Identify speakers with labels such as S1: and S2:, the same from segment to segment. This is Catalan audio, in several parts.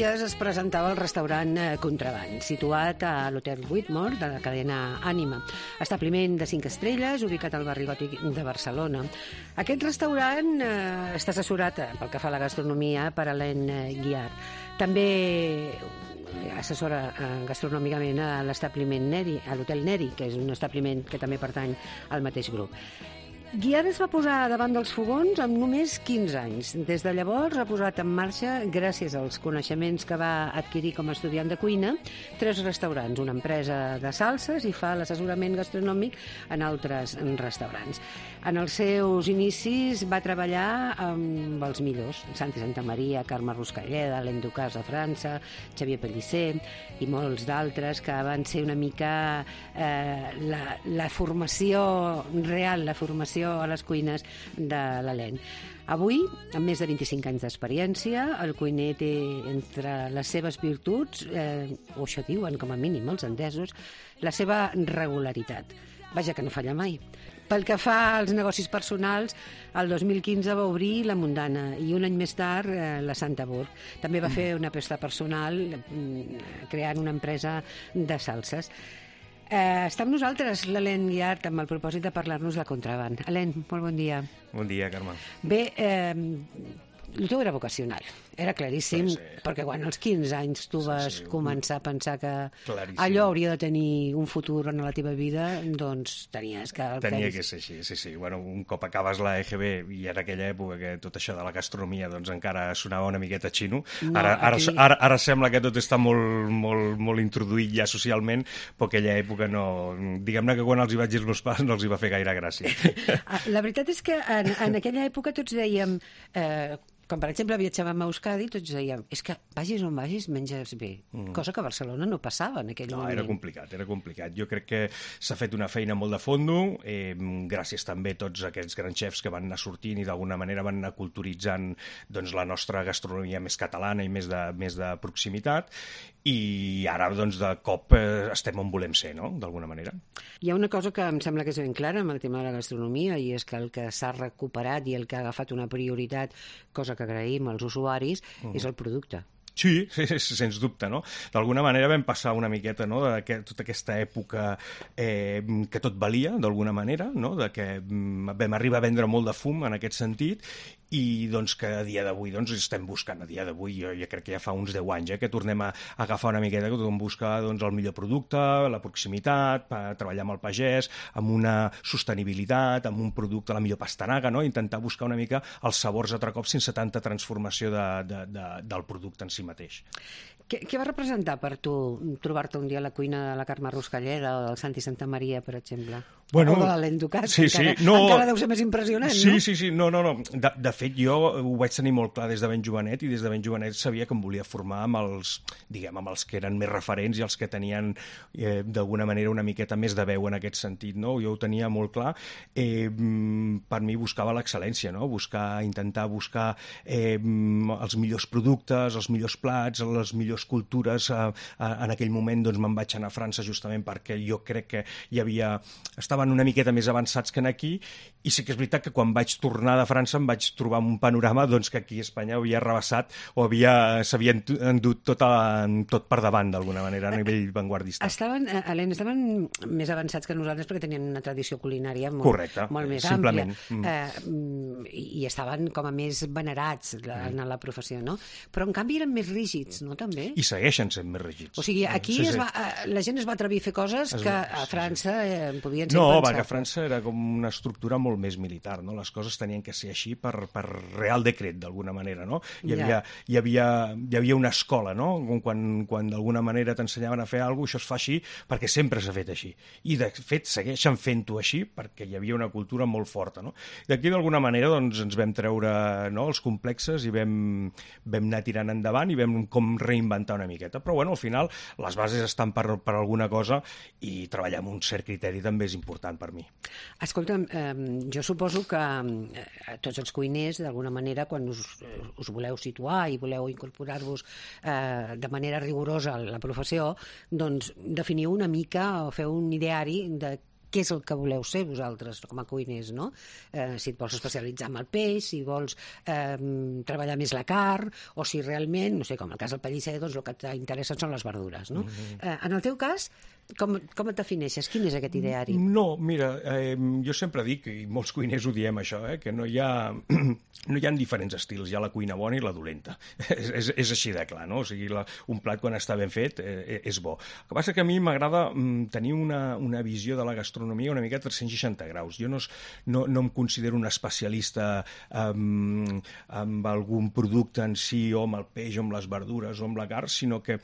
S1: dies es presentava el restaurant Contraband, situat a l'Hotel Whitmore de la cadena Ànima, establiment de 5 estrelles ubicat al barri gòtic de Barcelona. Aquest restaurant està assessorat pel que fa a la gastronomia per Helene Guiard. També assessora gastronòmicament a l'establiment Neri, a l'Hotel Neri, que és un establiment que també pertany al mateix grup. Guiard es va posar davant dels fogons amb només 15 anys. Des de llavors ha posat en marxa, gràcies als coneixements que va adquirir com a estudiant de cuina, 3 restaurants, una empresa de salses i fa l'assessorament gastronòmic en altres restaurants. En els seus inicis va treballar amb els millors, Santi Santamaria, Carme Ruscalleda, Alain Ducasse a França, Xavier Pellicer i molts d'altres que van ser una mica la formació real, la formació a les cuines de l'Helene. Avui, amb més de 25 anys d'experiència, el cuiner té entre les seves virtuts, o això diuen com a mínim els entesos, la seva regularitat. Vaja, que no falla mai. Pel que fa als negocis personals, el 2015 va obrir la Mundana i un any més tard la Santa Burg. També va fer una aposta personal creant una empresa de salses. Està amb nosaltres l'Helene Guiard amb el propòsit de parlar-nos de Contraband. Helene, molt bon dia.
S2: Bon dia, Carme.
S1: Bé, el teu era vocacional, era claríssim, sí. Perquè quan als 15 anys tu vas començar a pensar que allò hauria de tenir un futur en la teva vida, doncs tenies que...
S2: Tenia que ser així, sí. Bueno, un cop acabes la EGB, i era aquella època que tot això de la gastronomia doncs encara sonava una miqueta xino. Ara sembla que tot està molt introduït ja socialment, però aquella època no... Diguem-ne que quan els hi vaig dir els meus pares no els hi va fer gaire gràcia.
S1: La veritat és que en aquella època tots dèiem... Quan, per exemple, viatjàvem a Euskadi, tots dèiem, és que vagis on vagis, menges bé. Cosa que a Barcelona no passava en aquell moment.
S2: Era complicat. Jo crec que s'ha fet una feina molt de fondo, gràcies també a tots aquests grans xefs que van anar sortint i d'alguna manera van anar culturitzant doncs, la nostra gastronomia més catalana i més de proximitat, i ara, doncs, de cop estem on volem ser, no?, d'alguna manera.
S1: Hi ha una cosa que em sembla que és ben clara amb el tema de la gastronomia, i és que el que s'ha recuperat i el que ha agafat una prioritat, cosa que agraïm als usuaris, és el producte.
S2: Sí, sens dubte, no? D'alguna manera vam passar una miqueta, no?, de tota aquesta època que tot valia, d'alguna manera, no?, de que vam arribar a vendre molt de fum en aquest sentit, i doncs que a dia d'avui doncs estem buscant, jo crec que ja fa uns 10 anys que tornem a agafar una miqueta, que tothom busca doncs, el millor producte, la proximitat, treballar amb el pagès, amb una sostenibilitat, amb un producte, la millor pastanaga, no?, intentar buscar una mica els sabors altre cop sense tanta transformació del producte en si mateix.
S1: Què va representar per tu trobar-te un dia a la cuina de la Carme Ruscalleda o del Santi Santamaria, per exemple? O de l'Alain Ducasse, encara deu ser més impressionant, no?
S2: Sí, no. De fet, jo ho vaig tenir molt clar des de ben jovenet, i des de ben jovenet sabia que em volia formar amb els que eren més referents i els que tenien d'alguna manera una miqueta més de veu en aquest sentit, no? Jo ho tenia molt clar. Per mi buscava l'excel·lència, no? Intentar buscar els millors productes, els millors plats, les millors cultures. En aquell moment doncs me'n vaig anar a França justament perquè jo crec que estaven una miqueta més avançats que aquí, i sí que és veritat que quan vaig tornar de França em vaig trobar amb un panorama doncs, que aquí a Espanya havia rebassat o s'havien endut tot per davant d'alguna manera a nivell vanguardista.
S1: Helene, estaven més avançats que nosaltres perquè tenien una tradició culinària molt més
S2: àmplia.
S1: I estaven com a més venerats en la professió, no? Però en canvi eren més rígids, no, també?
S2: I segueixen sent més rígids.
S1: O sigui, aquí la gent es va atrevir a fer coses que a França podien ser
S2: pensables. No, perquè a França era com una estructura molt més militar, no? Les coses tenien que ser així per real decret, d'alguna manera, no? Hi havia una escola, no? Quan d'alguna manera t'ensenyaven a fer alguna cosa, això es fa així perquè sempre s'ha fet així. I, de fet, segueixen fent-ho així perquè hi havia una cultura molt forta, no? D'aquí, d'alguna manera, doncs, ens vam treure els complexes i vam anar tirant endavant i vam com reinventar una miqueta. Però, bueno, al final, les bases estan per alguna cosa, i treballar amb un cert criteri també és important per mi.
S1: Escolta'm, jo suposo que tots els cuiners, d'alguna manera, quan us voleu situar i voleu incorporar-vos de manera rigorosa a la professió, doncs definiu una mica o feu un ideari de què és el que voleu ser vosaltres com a cuiners, no? Si et vols especialitzar en el peix, si vols treballar més la carn, o si realment, no sé, com el cas del pellisser, doncs el que t'interessa són les verdures, no? En el teu cas, com et defineixes? Quin és aquest ideari?
S2: No, mira, jo sempre dic, i molts cuiners ho diem això, que no hi ha diferents estils, hi ha la cuina bona i la dolenta. És així de clar, no? O sigui, un plat quan està ben fet és bo. El que passa que a mi m'agrada tenir una visió de la gastronomia una mica a 360 graus. Jo no em considero un especialista amb algun producte en si, o amb el peix, o amb les verdures, o amb la carn, sinó que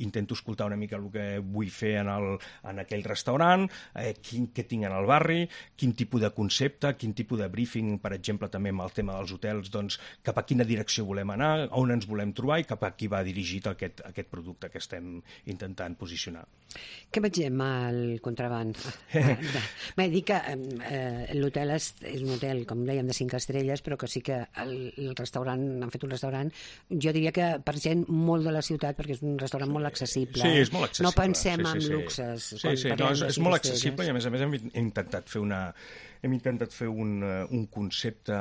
S2: intento escoltar una mica el que vull fer en aquell restaurant, què tinc en el barri, quin tipus de concepte, quin tipus de briefing, per exemple, també amb el tema dels hotels, doncs, cap a quina direcció volem anar, on ens volem trobar i cap a qui va dirigit aquest producte que estem intentant posicionar.
S1: Què mengem al Contraband? Bé, dic que l'hotel és un hotel, com dèiem, de 5 estrelles, però que sí que el restaurant, han fet un restaurant, jo diria que per gent molt de la ciutat, perquè és un restaurant molt accessible.
S2: Sí, és molt accessible.
S1: No pensem en luxes.
S2: Sí, no, és molt accessible i a més hem intentat fer un concepte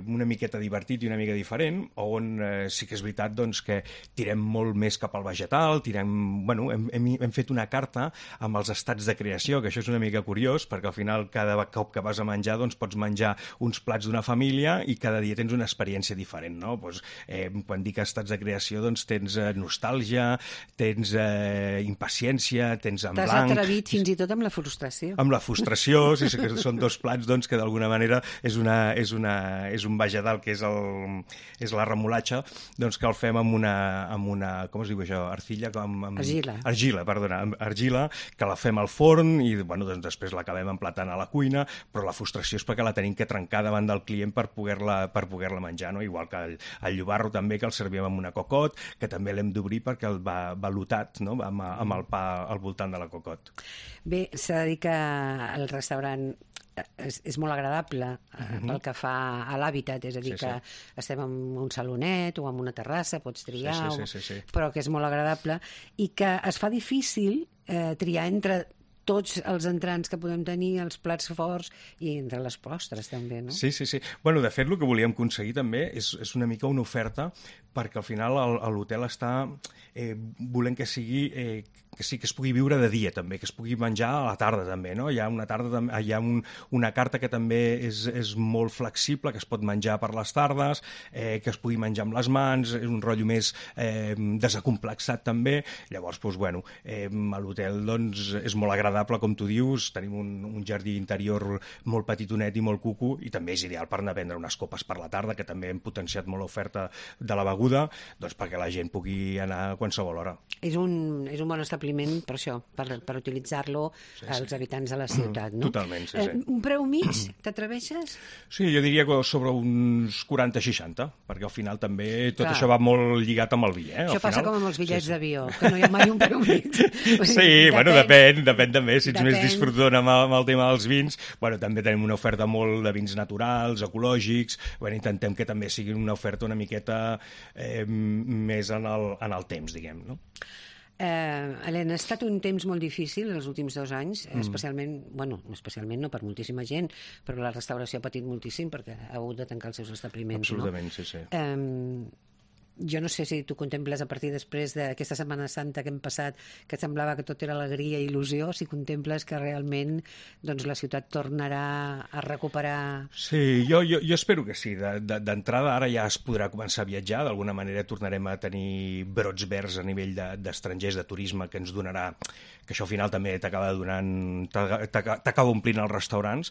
S2: una miqueta divertit i una mica diferent, on sí que és veritat doncs, que tirem molt més cap al vegetal, hem fet una carta amb els estats de creació, que això és una mica curiós, perquè al final cada cop que vas a menjar doncs, pots menjar uns plats d'una família i cada dia tens una experiència diferent, no? Doncs, quan dic estats de creació doncs, tens nostàlgia, tens impaciència, tens en blanc...
S1: T'has atrevit fins i tot amb la frustració.
S2: Amb la frustració, sí, que són dos plats doncs, que d'alguna manera és un vegetal que és la remolatxa, doncs que el fem amb una com es diu això? Argila, que la fem al forn i doncs després l'acabem emplatant a la cuina, però la frustració és perquè la tenim que trencar davant del client per poder-la menjar, no? Igual que el llobarro també, que el servíem amb una cocot, que també l'hem d'obrir perquè el va velutat, no? amb el pa al voltant de la cocot.
S1: Bé, s'ha de dir que el restaurant és molt agradable pel que fa a l'hàbitat, és a dir, que estem en un salonet o en una terrassa, pots triar, però que és molt agradable i que es fa difícil triar entre tots els entrants que podem tenir, els plats forts i entre les postres també, no?
S2: Sí. Bueno, de fet, el que volíem aconseguir també és una mica una oferta perquè al final l'hotel està volent que sigui que sí que es pugui viure de dia també, que es pugui menjar a la tarda també, no? Hi ha una carta que també és molt flexible, que es pot menjar per les tardes, que es pugui menjar amb les mans, és un rotllo més desacomplexat també. Llavors, doncs, bueno, a l'hotel doncs, és molt agradable, com tu dius, tenim un jardí interior molt petitonet i molt cucu, i també és ideal per anar a prendre unes copes per la tarda, que també hem potenciat molt l'oferta de la beguda, doncs perquè la gent pugui anar a qualsevol hora.
S1: És un bon establiment per això, per utilitzar-lo als habitants de la ciutat, no?
S2: Totalment, sí.
S1: Un preu mig, t'atreveixes?
S2: Sí, jo diria que sobre uns 40-60, perquè al final també tot això va molt lligat amb el vi,
S1: Això passa com amb els bitllets d'avió, que no hi ha mai un preu mig.
S2: Sí, bueno, depèn també, si ets més disfrutador amb el tema dels vins, bueno, també tenim una oferta molt de vins naturals, ecològics, bueno, intentem que també sigui una oferta una miqueta més en el temps, diguem, no?
S1: Helena, ha estat un temps molt difícil els últims 2 anys, especialment no per moltíssima gent, però la restauració ha patit moltíssim perquè ha hagut de tancar els seus establiments.
S2: Absolutament, no? Sí.
S1: Jo no sé si tu contemples a partir després d'aquesta Setmana Santa que hem passat, que semblava que tot era alegria i il·lusió, si contemples que realment doncs, la ciutat tornarà a recuperar...
S2: Sí, jo espero que sí. D'entrada ara ja es podrà començar a viatjar, d'alguna manera tornarem a tenir brots verds a nivell d'estrangers, de turisme, que ens donarà, que això al final també t'acaba omplint els restaurants,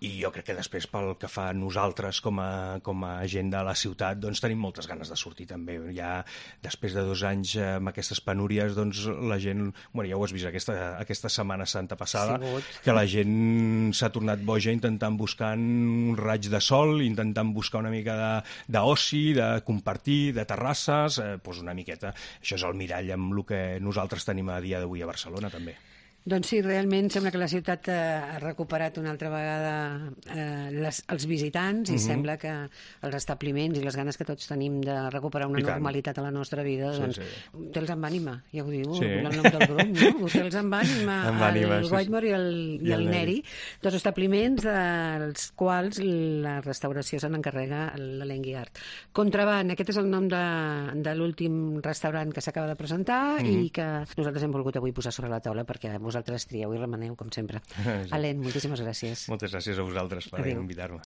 S2: i jo crec que després pel que fa a nosaltres com a gent de la ciutat, doncs tenim moltes ganes de sortir també. Ja després de 2 anys amb aquestes penúries, doncs la gent, bueno, ja ho has vist aquesta Setmana Santa passada, que la gent s'ha tornat boja intentant buscar un raig de sol, intentant buscar una mica d'oci, de compartir, de terrasses, doncs una miqueta. Això és el mirall amb el que nosaltres tenim a dia d'avui a Barcelona també.
S1: Doncs sí, realment sembla que la ciutat ha recuperat una altra vegada els visitants i sembla que els establiments i les ganes que tots tenim de recuperar una normalitat a la nostra vida, doncs Hotels amb ànima, ja ho diu el nom del grup, no? Hotels amb ànima, el Whitmore i el Neri, dos establiments dels quals la restauració se n'encarrega l'Alain Guiart. Contraband, aquest és el nom de l'últim restaurant que s'acaba de presentar i que nosaltres hem volgut avui posar sobre la taula perquè vosaltres trieu i remeneu, com sempre. Alain, moltíssimes gràcies.
S2: Moltes gràcies a vosaltres per invitar-me.